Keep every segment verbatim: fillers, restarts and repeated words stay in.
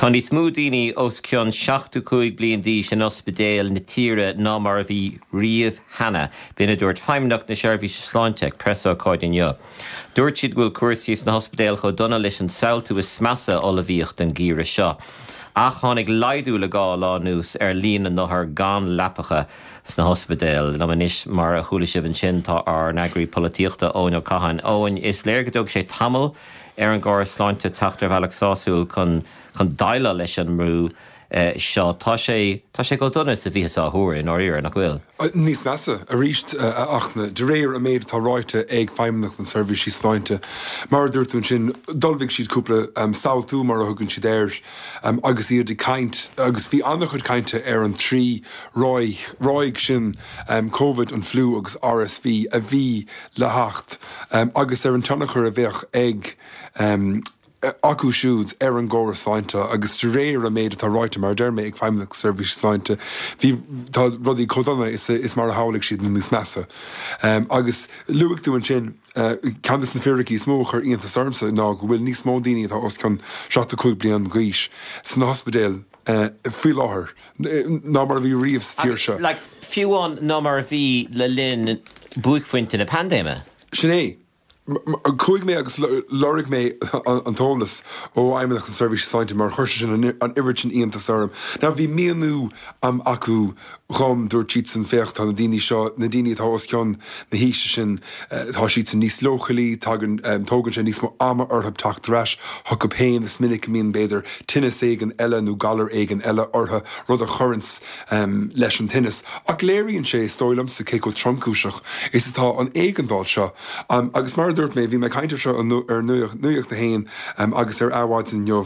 Tá níos mó daoine os cionn seachtó cúig bliain d'aois in ospidéil na tíre ná mar a bhí riamh cheana, b'in a dúirt Feidhmeannacht na Seirbhíse Sláinte ag preasócáid inniu. Dúirt siad go bhfuil cúrsaí sna hospidéil chomh dona leis an samhaltú is measa a ullmhaíodh don gheimhreadh seo. Ach tháinig laghdú le dhá lá anuas ar líon na n-othar gan leapacha sna hospidéil. Liom anois mar a chuala sibh ansin tá ár n-eagraí polaitíochta Eoin Ó Catháin. Eoin is léir go dtóg sé tamall ar an gcóras sláinte teacht ar bhealach sásúil chun chun déileáil leis an mbrú eh, seo tá sé tá sé chomh dona is a bhíothas á thuar i ndáiríre nach bhfuil. Níos measa arís a Fhachtna de réir an méid atá ráite ag Feidhmeannacht na Seirbhísí Sláinte. Mar a dúirt tú ansin d'ullmhaigh siad cúpla um, samhaltú mar a thugann siad air um, agus iad ag caint agus bhí an-chuid cainte ar an trí ráig ráig sin um, COVID an fliú agus RSV a bhí le theacht um, agus ar an tionchar a bheadh ag um, acu siúd ar an gcóras sláinte agus de réir an méid atá ráite mar deir mé ag Feidhmeannacht Seirbhís Sláinte bhí tá rudaí chomh dona is, is mar a shamhlaigh siad nó níos measa. Um, agus luaigh tú ansin uh, ceann de na fíricí is mó a chuir iontas ormsa ná go bhfuil níos mó daoine atá os cionn seachtó cúig bliain d'aois san ospidéal uh, faoi láthair ná mar a bhí riamh sa tír seo. Like, fiú amháin ná mar a bhí le linn buaicphointe na paindéime. Sin é. Chuaigh mé agus lorg mé an t-eolas ó Fheidhmeannacht na Seirbhíse Sláinte mar chuir sin an oiread sin iontas orm. Now bhí míniú am acu dhom dúirt siad san féach tá na daoine seo na daoine atá os cionn na haoise sin tá siad san níos leochailí tagann tógann sé níos mó ama orthu teacht ar ais chucu féin is minic a mbíonn b'fhéidir tinneas éigin eile nó galar éigin eile orthu rud a chuireanns um, leis an tinneas. Ach léiríonn sé is dóigh liomsa cé chomh tromchúiseach is atá an éigeandáil seo um, agus mar dúirt mé bhí mé caint seo ar Nuacht a hAon um, agus ar Adhmhaidin inniu.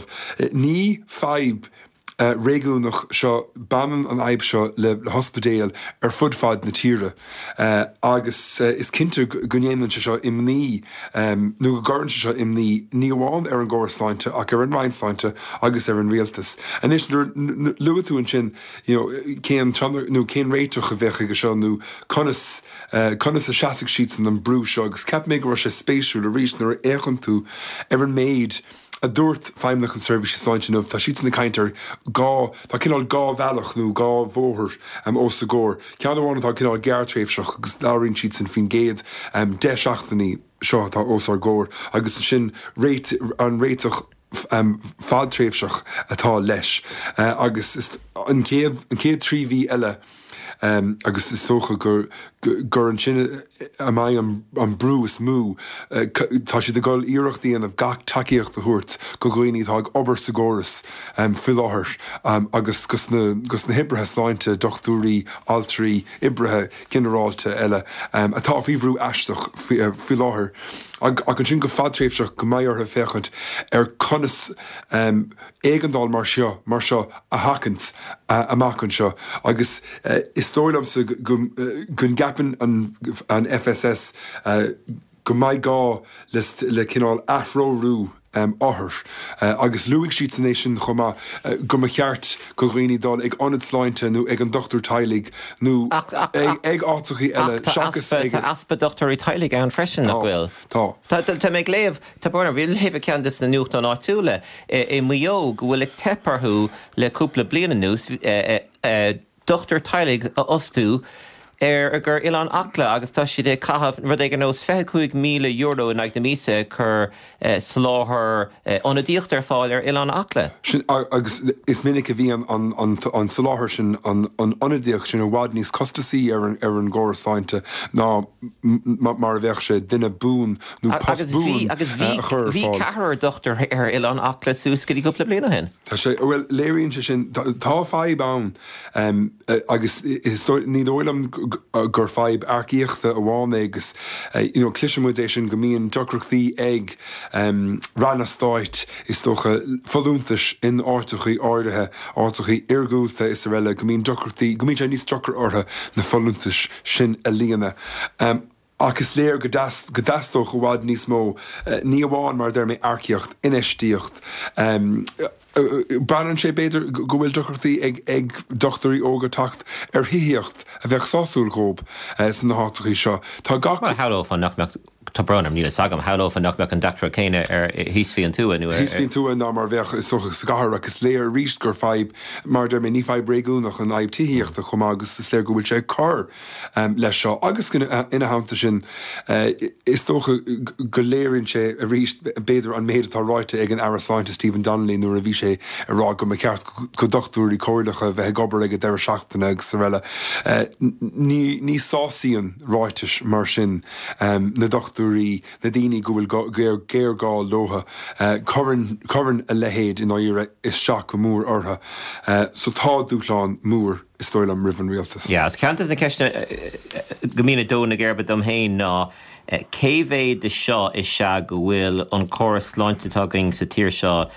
Ní fadhb uh, réigiúnach seo baineann an fhadhb seo le, le hospidéil ar fud fad na tíre. Uh, agus uh, is cinnte go ndéanann sé seo imní um, nó go gcuireann sé seo imní ní amháin ar an gcóras sláinte ach ar an Roinn Sláinte agus ar an rialtas. Anois luaigh tú ansin you know, cén nó cén réiteach a bheadh aige seo nó conas uh, conas a seasfaidh siad san an brú seo agus ceap mé go raibh sé spéisiúil arís nuair a fhéachann tú ar an méid a dúirt Feidhmeannacht na Seirbhíse Sláinte inniu tá siad ag caint ar dhá tá cineál dhá bhealach nó dhá bhóthar um, os a gcomhair. Ceann amháin atá cineál gearrtréimhseach agus labhraíonn siad sin faoin gcéad um, deich seachtainí seo atá os ár gcomhair agus sin réit, an réiteach um, fadtréimhseach atá leis uh, agus is, an chéad an chéad trí mhí eile um, agus is dócha gur gur ansin a mbeidh an, an brú is mó uh, tá siad ag dul iarracht a dhéanamh gach tacaíocht a thabhairt do dhaoine atá ag obair sa gcóras um, faoi láthair um, agus gus na, gus na hoibrithe sláinte dochtúirí altraí oibrithe ginearálta eile um, atá faoi bhrú aisteach faoi uh, láthair. Ag ansin go fadtréimhseach go mbeidh orthu féachaint ar conas um, éigeandáil mar seo mar seo a sheachaint uh, amach anseo agus uh, is dóigh liomsa go go gceapann an, an FSS uh, go mbeidh gá le, le cineál atreorú um, othar uh, agus luaigh siad san é sin chomh maith uh, go mba cheart do dhaoine dul ag ionad sláinte nó ag an dochtúir teaghlaigh nó ag áiteacha eile seachas ag easpa dochtúirí teaghlaigh ann freisin nach bhfuil. Tá. Tá mé ag léamh tá bhí léamh ceann de na nuachtáin áitiúla i Maigh Eo go bhfuil ag teip orthu le cúpla bliain anuas dochtúir teaghlaigh a fhostú ar gur Oileán Acla agus tá siad ag caitheamh rud ag nós fiche cúig míle euro in aghaidh na míosa chun eh, soláthar eh, ionadaíocht ar fáil ar Oileán Acla. Sin agus is minic a bhíonn an, an, an soláthar sin an, an ionadaíocht sin i bhfad níos costasaí ar an, ar an gcóras sláinte ná mar a bheadh sé duine buan nó post buan agus bhí bhí ceathrar dochtúir ar Oileán Acla suas go dtí cúpla bliain ó shin. Tá sé well léiríonn sé sin tá fadhb ann um, agus is ní dóigh liom gur fadhb earcaíochta amháin agus you know, cloisimid é sin go mbíonn deacrachtaí ag um, ranna stáit is dócha folúntais in áiteacha áirithe áiteacha iargúlta is araile go mbíonn deacrachtaí go mbíonn sé níos deacra orthu na folúntais sin a líonadh. Um, Ach is léir go go dteastódh i bhfad níos mó uh, ní amháin mar deir mé earcaíocht infheistíocht. Um, Baineann sé b'fhéidir go bhfuil deacrachtaí ag ag dochtúirí óga teacht ar thithíocht a bheith sásúil dóibh uh, sna háiteacha seo. Tá gach shamhlófá nach mbeadh Tá brón orm, níl a fhios agam, shamhlófá nach mbeadh an deacracht céanna ar thíos faoin tuath nó ar. Thíos faoin tuath ná mar a bheadh is dócha sa gcathair ach is léir arís gur fadhb, mar a deir mé, ní fadhb réigiúnach an fhadhb tithíochta chomh maith agus is léir go bhfuil sé ag cur leis seo agus ina theannta sin is dócha go léiríonn sé arís b'fhéidir an méid atá ráite ag an Aire Sláinte Stephen Donnelly nuair a bhí sé ag rá go mba cheart go dochtúirí comhairleacha bheith ag obair ag an deireadh seachtaine agus araile. Ní ní sásaíonn ráitis mar sin na dochtúirí, na daoine go bhfuil géarghá leo. Cuireann cuireann a leithéid i ndáiríre isteach go mór orthu. So tá dúshlán mór is dóigh liom roimh an rialtas. Yeah, is ceann de na ceisteanna go mbíonn ag dó na geirbe dom féin ná cé mhéad de seo is ea go bhfuil an córas sláinte atá againn sa tír seo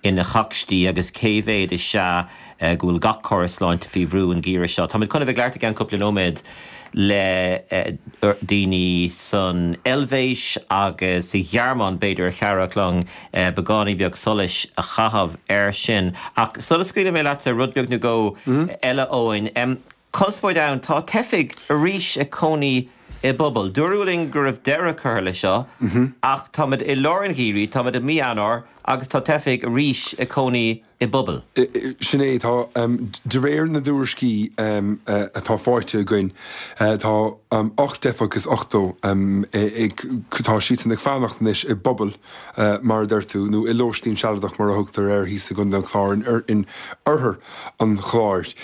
ina chacstí agus cé mhéad is ea go bhfuil gach córas sláinte faoi bhrú an geimhreadh seo. Táimid chun a bheith ag labhairt i gceann cúpla nóiméad le daoine san Eilvéis agus sa Ghearmáin, b'fhéidir, a chabhródh linn beagáinín beag solais a chaitheamh air sin. Ach sula scaoilfidh mé leatsa, rud beag nó dhó eile, Eoin. Conspóid ann, tá teifigh arís ag cónaí i bpubaill. Dúradh linn go raibh deireadh curtha leis seo, ach táimid i lár an gheimhridh, táimid i mí Eanáir agus tá teifigh arís ag cónaí i bpubaill. Sin é, tá, de réir na dtuairiscí atá faighte againn, tá ocht dteifeach is ochtó ag, tá siadsan ag fanacht anois i bpubaill, mar a deir tú, nó i lóistín sealadach mar a thugtar air thíos i gContae an Chláir, in oirthear an Chláir.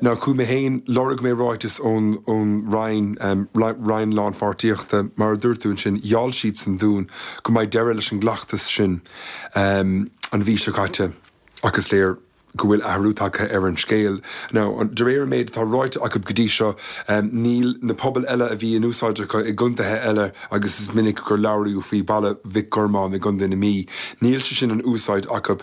Now chuaigh mé féin, lorg mé ráiteas ón ón Roinn, Roinn Lánpháirtíochta, mar a dúirt tú ansin, gheall siadsan dúinn go mbeidh deireadh leis an gcleachtas sin an mhí seo caite ach is léir go bhfuil athrú tagtha ar an scéal. Now, de réir an méid atá ráite acu go dtí seo, níl na pubaill eile a bhí in úsáid acu i gcontaetha eile agus is minic gur labhraíodh faoi Baile Mhic Gormáin i gContae na Mí, níl sé sin in úsáid acu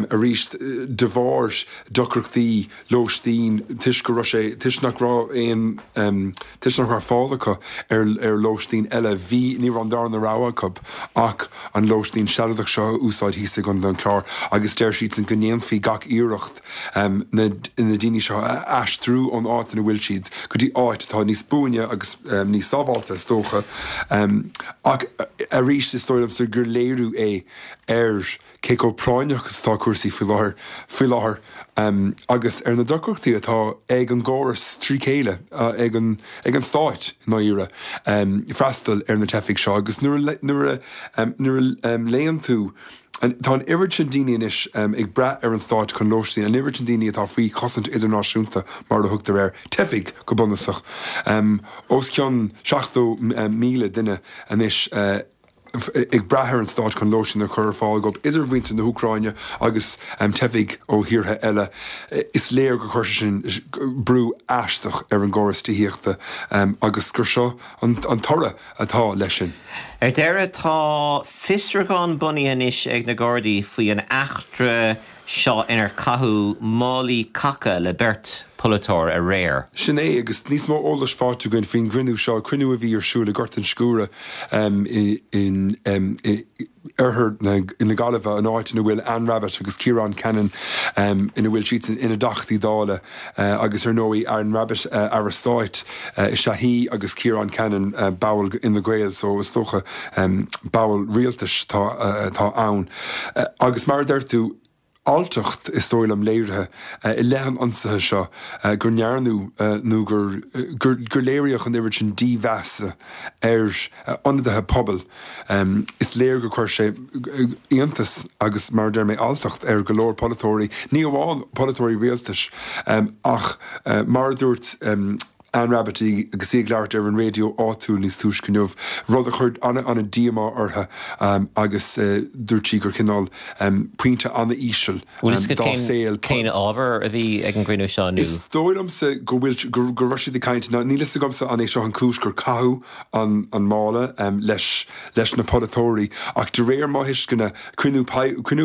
arís de bharr deacrachtaí lóistín toisc go raibh sé, toisc nach raibh aon, toisc nach raibh fáil acu ar ar lóistín eile. Bhí, ní raibh an darna rogha acu ach an lóistín sealadach seo a úsáid thíos i gContae an Chláir agus deir siadsan go ndéanfaí gach iarracht na daoine seo a aistriú ón áit ina bhfuil siad go dtí áit atá níos buaine agus níos sábháilte, is dócha. Ach arís, is dóigh liomsa gur léiriú é ar cé chomh práinneach is atá cúrsaí faoi láthair faoi láthair agus ar na deacrachtaí atá ag an gcóras trí chéile, ag an ag an stáit i ndáiríre, freastal ar na teifigh seo. Agus nuair nuair a nuair a léann tú Tá an oiread sin daoine anois ag brath ar an stát chun lóistín, an oiread sin daoine atá faoi chosaint idirnáisiúnta, mar a thugtar air, teifigh go bunúsach. Os cionn seachtó míle duine anois ag brath ar an stát chun lóistín a chur ar fáil dóibh, idir mhuintir na hÚcráine agus teifigh ó thíortha eile. Is léir gur chuir sé sin brú aisteach ar an gcóras tithíochta agus gur seo an toradh atá leis sin. Ar deireadh, tá fiosrúchán bunaithe anois ag na Gardaí faoi an eachtra seo inar caitheadh málaí caca le beirt pholaiteoir aréir. Sin é, agus níos mó eolais faighte againn faoin gcruinniú seo, cruinniú a bhí ar siúl i nGort an Sciúra in oirthear na Gaillimhe, an áit ina bhfuil Anne Rabbitte agus Ciarán Cannon, ina bhfuil siadsan ina dTeachtaí Dála agus ar ndóigh Anne Rabbitte, Aire Stáit is ea í agus Ciarán Cannon, ball Fhine Gael, so is dócha ball rialtais atá ann. Agus mar a deir tú, alltacht, is dóigh liom, léirithe i leith an ionsaithe seo go ndearnadh nó gur gur léiríodh an oiread sin dímheasa ar ionadaithe pobail. Is léir gur chuir sé iontas agus, mar a deir mé, alltacht ar go leor polaiteoirí, ní amháin polaiteoirí rialtais ach mar a dúirt Anne Rabbitte agus í ag labhairt ar an raidió áitiúil níos túisce inniu, rud a chuir an-díomá uirthi agus dúirt sí gur cineál pointe an-íseal dá saol. Cén ábhar a bhí ag an gcruinniú seo nó? Is dóigh liomsa go bhfuil, go raibh siad ag caint, níl a fhios agamsa an é seo an chúis gur caitheadh an mála leis leis na polaiteoirí ach de réir mo thuisceana, cruinniú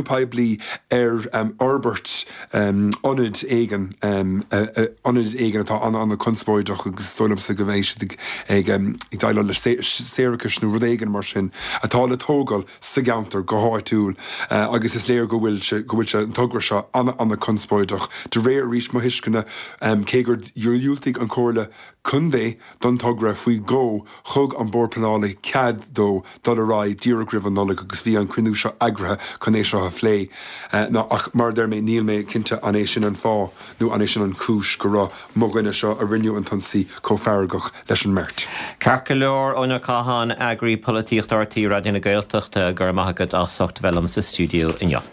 poiblí ar fhorbairt ionad éigin ionad éigin atá an-an-chonspóideach agus is dóigh liomsa go mbeidh siad ag ag déileáil le séarachas nó rud éigin mar sin atá le tógáil sa gceantar go háitiúil agus is léir go bhfuil sé go bhfuil sé an togra seo an-an-chonspóideach de réir arís mo thuisceana cé gur dhiúltaigh an Chomhairle Contae don togra faoi dhó thug an Bord Pleanála cead dó dul ar aghaidh díreach roimh an Nollaig agus bhí an cruinniú seo eagraithe chun é seo a phlé. Ná ach mar a deir mé níl mé cinnte an é sin an fáth nó an é sin an chúis go raibh mo dhuine seo a rinne an t-ionsaí chomh feargach leis an mbeirt. Ceart go leor, Eoin Ó Catháin, Eagraí Polaitíochta R T Raidió na Gaeltachta, go raibh maith agat as ucht bheith liom sa stiúideo inniu.